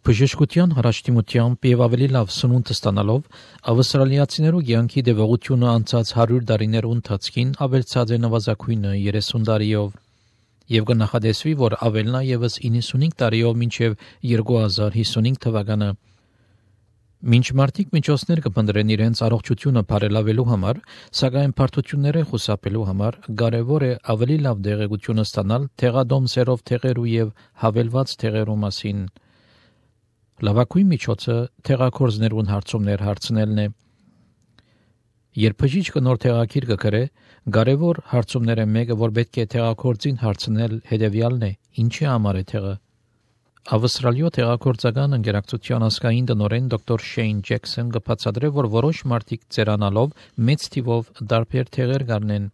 Բժշկության հարաշտիմությամբ եւ ավելի լավ սնունդ ստանալով ավստրալիացիներու կյանքի դեպողությունը անցած 100 տարիներու ընթացքին ավելցած է նվազագույնը 30 տարիով եւ կնախադեсվի, որ ավելնա եւս 95 տարիով մինչեւ 2055 թվականը։ Մինչ մարդիկ միջոցներ կփնտրեն իրենց առողջությունը բարելավելու համար, սակայն բարդությունները խուսափելու համար կարևոր է ավելի լավ դեղեցություն ստանալ թեղադոմսերով թեղերու եւ հավելված թեղերու մասին։ Լավագույն միջոցը թեղակորձներուն հարցումներ հարցնելն է։ Երբ բժիշկը նոր թեղակիր կգրե, կարևոր հարցումները մեկը, որ պետք է թեղակորձին հարցնել, հետևյալն է. ինչի համար է թեղը։ Ավստրալիո թեղակորձական ընկերակցության ազգային տնօրեն դոկտոր Շեյն Ջեքսոն կբացատրե, որ որոշ մարդիկ ծերանալով մեծ թիվով տարբեր թեղեր կառնեն։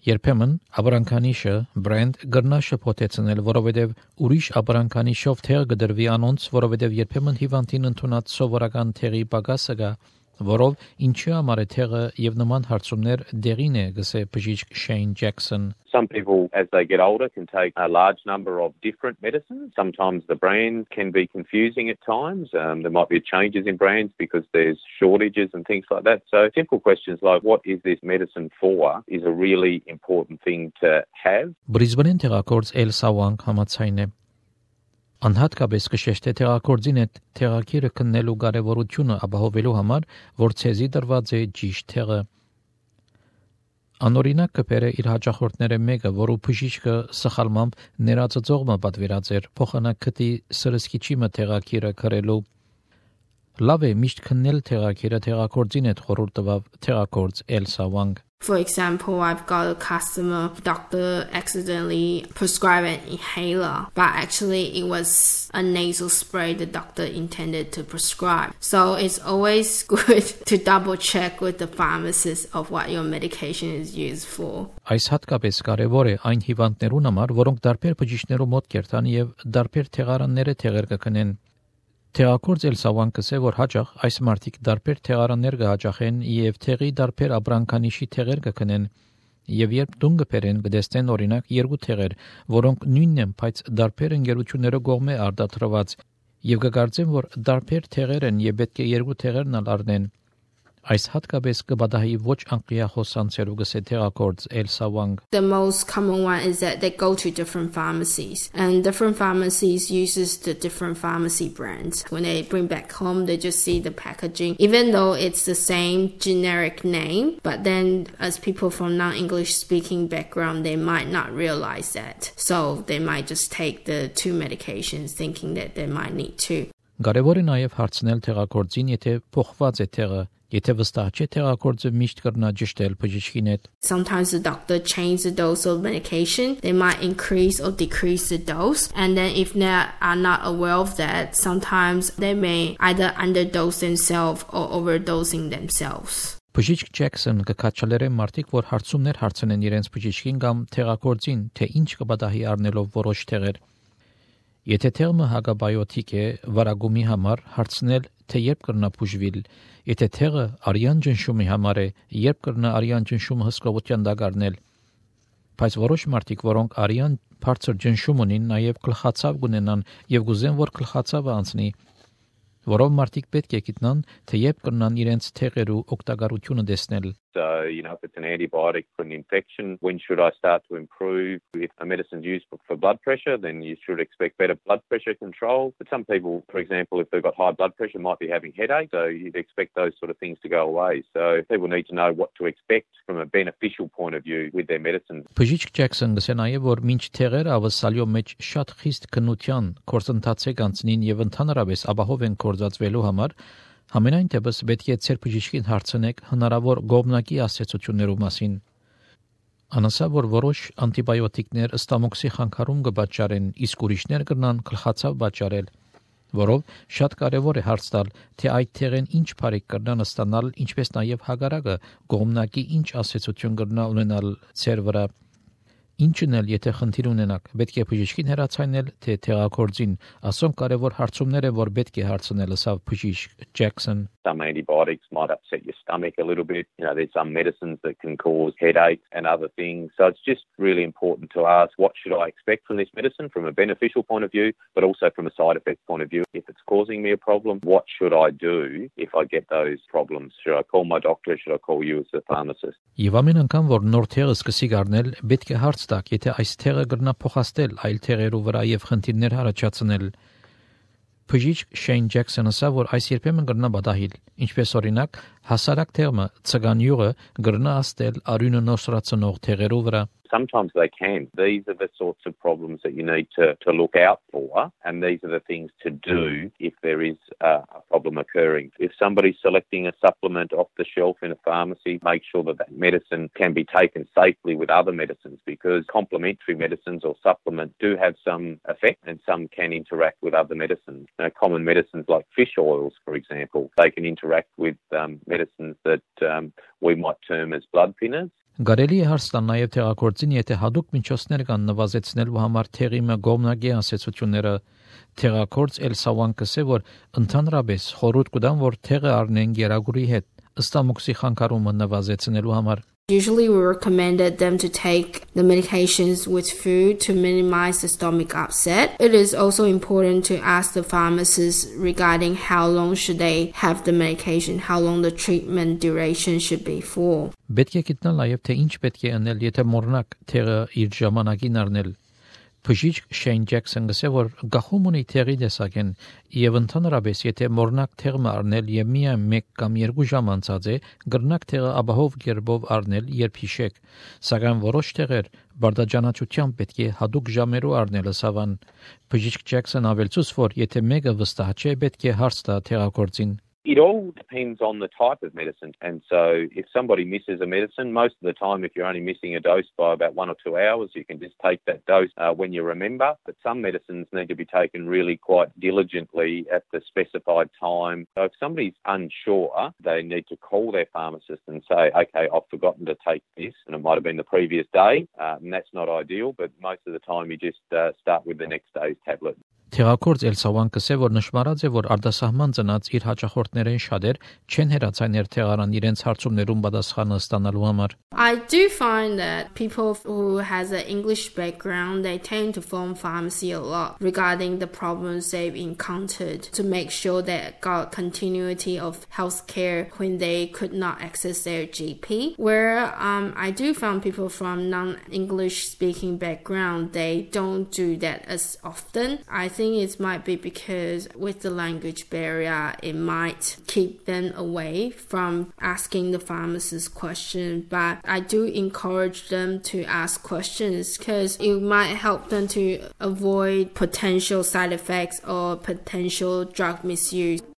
Երբեմն ապրանքանիշը բրենդ գրնա շփոթեցնել, որովհետև ուրիշ ապրանքանիշով թեղ կդրվի անոնց, որովհետև երբեմն հիվանդին ընդունած սովորական թեղի պակասը կա, որով ինչի համար է թեղը եւ նման հարցումներ դեղին է, գսե բժիշկ Շեյն Ջեքսոն։ Some people, as they get older, can take a large number of different medicines. Sometimes the brand can be confusing at times. There might be changes in brands because there's shortages and things like that. So simple questions like, what is this medicine for, is a really important thing to have. Բրիզբենին թեղակորձ Էլսա Վանգ համաձայն է։ Անհատկապես կշեշտե թեղակորձին այդ թեղակիրը քննելու կարևորությունը ապահովելու համար, որ ցեզի դրված է ճիշտ թեղը։ Անօրինակ կբերե իր հաճախորդները մեկը, որը բժիշկը սխալմամբ ներածծողը պատվիրած էր փոխանակի սրսկիչի թեղակիրը քրելու։ Լավ է միշտ քննել թեղակիրը թեղակորձին այդ խորհուրդ տվավ թեղակորձ Էլսա Վանգ։ For example, I've got a customer, doctor accidentally prescribed an inhaler, but actually it was a nasal spray the doctor intended to prescribe. So it's always good to double check with the pharmacist of what your medication is used for. Այս հատկապես կարևոր է այն հիվանդներուն համար, որոնք դարբեր բժիշկներու մոտ կերտան եւ դարբեր թեղարանները թեղեր կքնեն։ Թեղակորձ Էլսա Վանգը ասե, որ հաճախ այս մարդիկ դարբեր թեղարաններ կհաճախեն եւ թեղի դարբեր ապրանքանիշի թեղեր կքնեն եւ երբ դուն կբերեն կդեսնեն օրինակ երկու թեղեր, որոնք նույնն են, բայց դարբեր ընկերությունները կողմէ արդատրված եւ կգործեն, որ դարբեր թեղեր են եւ պետք է երկու թեղերն առնեն։ Այս հատկապես կբադահի ոչ անկլիա խոսանցերու գսե թեղակորձ Էլսա Վանգ։ The most common one is that they go to different pharmacies and different pharmacies uses the different pharmacy brands. When they bring back home, they just see the packaging, even though it's the same generic name, but then as people from non-English speaking background, they might not realize that. So they might just take the two medications thinking that they might need two. Կարևոր է նաև հարցնել թեղակորձին, եթե փոխված է թեղը, եթե վստահ չէ թեղակորձը միշտ կրնա ճշտել բժիշկին հետ։ Sometimes the doctor changes the dose of medication. They might increase or decrease the dose. And then if they are not aware of that, sometimes they may either underdose themselves or overdosing themselves. Բժիշկ Ջեքսոն կքաչալերեն մարդիկ, որ հարցումներ հարցնեն իրենց բժիշկին կամ թեղակորձին, թե ինչ կբադահի առնելով որոշ թեղեր։ Եթե թեղը հագաբիոտիկ է, վարագումի համար հարցնել, թե երբ կրնա բուժվել, եթե թեղը արյան ջնշումի համար է, երբ կրնա արյան ջնշումը հսկողության դակ առնել։ Բայց որոշ մարդիկ, որոնք արյան բարձր ջնշում ունին, նաև գլխացավ կունենան եւ գուզեն, որ գլխացավը անցնի, որով մարդիկ պետք է գիտնան, թե երբ կրնան իրենց թեղերու օգտակարությունը տեսնել։ So, if it's an antibiotic for an infection, when should I start to improve? If a medicine's used for blood pressure, then you should expect better blood pressure control. But some people, for example, if they've got high blood pressure, might be having headache, so you'd expect those sort of things to go away. So people need to know what to expect from a beneficial point of view with their medicine. Բժիշկ Ջեքսոն գսե նաև, որ մինչ թեղերը ավսալյո մեջ շատ խիստ քննության կորզընթաց է կանցնին եւ ընդհանրապես ապահով են կորզածվելու համար, Համենայն դեպս պետք է ձեր բժիշկին հարցնեք հնարավոր գոմնակի ասացություններու մասին։ Անասա, որ որոշ անտիբիոտիկներ ստամոքսի խանգարում կպատճառեն, իսկ ուրիշներ կրնան գլխացավ պատճառել, որով շատ կարևոր է հարց տալ, թե այդ թեղեն ինչ բարիք կրնան ստանալ, ինչպես նաև հագարակը գոմնակի ինչ ասացություն կրնա ունենալ ձեր վրա։ Ինչն էլ եթե խնդիր ունենաք, պետք է բժիշկին հեռացանել, թե թերակորձին, ասոնք կարևոր հարցումներ է, որ պետք է հարցնել, ասավ բժիշկ Jackson. Some antibiotics might upset your stomach a little bit. There's some medicines that can cause headaches and other things. So it's just really important to ask, what should I expect from this medicine from a beneficial point of view, but also from a side effect point of view? If it's causing me a problem, what should I do if I get those problems? Should I call my doctor? Should I call you as a pharmacist? Եվ ամեն անգամ, որ նոր թեղը սկսի գարնել, պետք է հարց տաք, եթե այս թեղը կրնա փոխաստել այլ թեղերու վրա եւ խնդիրներ առաջացնել։ Բժիշկ Շեյն Ջեքսոնը ասա, որ այս երբեմն կրնա բադահիլ, ինչպես օրինակ հասարակ թեղը ցգանյուղը կրնա աստել արյունը նոսրացնող թեղերու վրա։ Sometimes they can. These are the sorts of problems that you need to look out for, and these are the things to do if there is a problem occurring. If somebody's selecting a supplement off the shelf in a pharmacy, make sure that that medicine can be taken safely with other medicines, because complementary medicines or supplements do have some effect and some can interact with other medicines. Common medicines like fish oils, for example, they can interact with medicines that we might term as blood thinners. Գարելի է հարց տալ նաև թեղակորձին, եթե հadoop միջոցներ կան նվազեցնելու համար թեղի մգոմնագի ասացությունները, թեղակորձ Էլսավան կսե, որ ընդհանրապես խորհուրդ կտան, որ թեղը առնեն գերագուրի հետ, ըստամոքսի խանգարումը նվազեցնելու համար։ Usually we recommended them to take the medications with food to minimize the stomach upset. It is also important to ask the pharmacist regarding how long should they have the medication, how long the treatment duration should be for. Պետք է գտնել նաև թե ինչ պետք է անել, եթե մոռնակ թեղը իր ժամանակին առնել։ Բժիշկ Շեյն Ջեքսոնը ասել, որ գախում ունի թեղի տեսակեն եւ ընդհանրապես եթե մոռնակ թեղը առնել եւ միայն 1 կամ 2 ժամ անցած է, կրնակ թեղը ապահով գերբով առնել, երբ հիշեք, սակայն որոշ թեղեր բարդաճանաչությամբ պետք է հadoop ժամերով առնել ասավան։ Բժիշկ Ջեքսոնը ավելցուց, որ եթե մեկը վստահ չէ, պետք է հարց տա թեղակորձին։ It all depends on the type of medicine. And so if somebody misses a medicine, most of the time, if you're only missing a dose by about 1 or 2 hours, you can just take that dose when you remember. But some medicines need to be taken really quite diligently at the specified time. So if somebody's unsure, they need to call their pharmacist and say, okay, I've forgotten to take this, and it might have been the previous day, and that's not ideal, but most of the time you just start with the next day's tablet. Թեղակորձ Էլսավան կսե, որ նշмарած է, որ արտասահման ծնած իր հաճախորդներեն շատեր չեն հերացան թեղարան իրենց հարցումներում պատասխանը ստանալու համար։ I do find that people who has an English background, they tend to phone pharmacy a lot regarding the problems they've encountered to make sure they got continuity of healthcare when they could not access their GP. Where I do find people from non-English speaking background, they don't do that as often. I think it might be because with the language barrier, it might keep them away from asking the pharmacist questions. But I do encourage them to ask questions because it might help them to avoid potential side effects or potential drug misuse.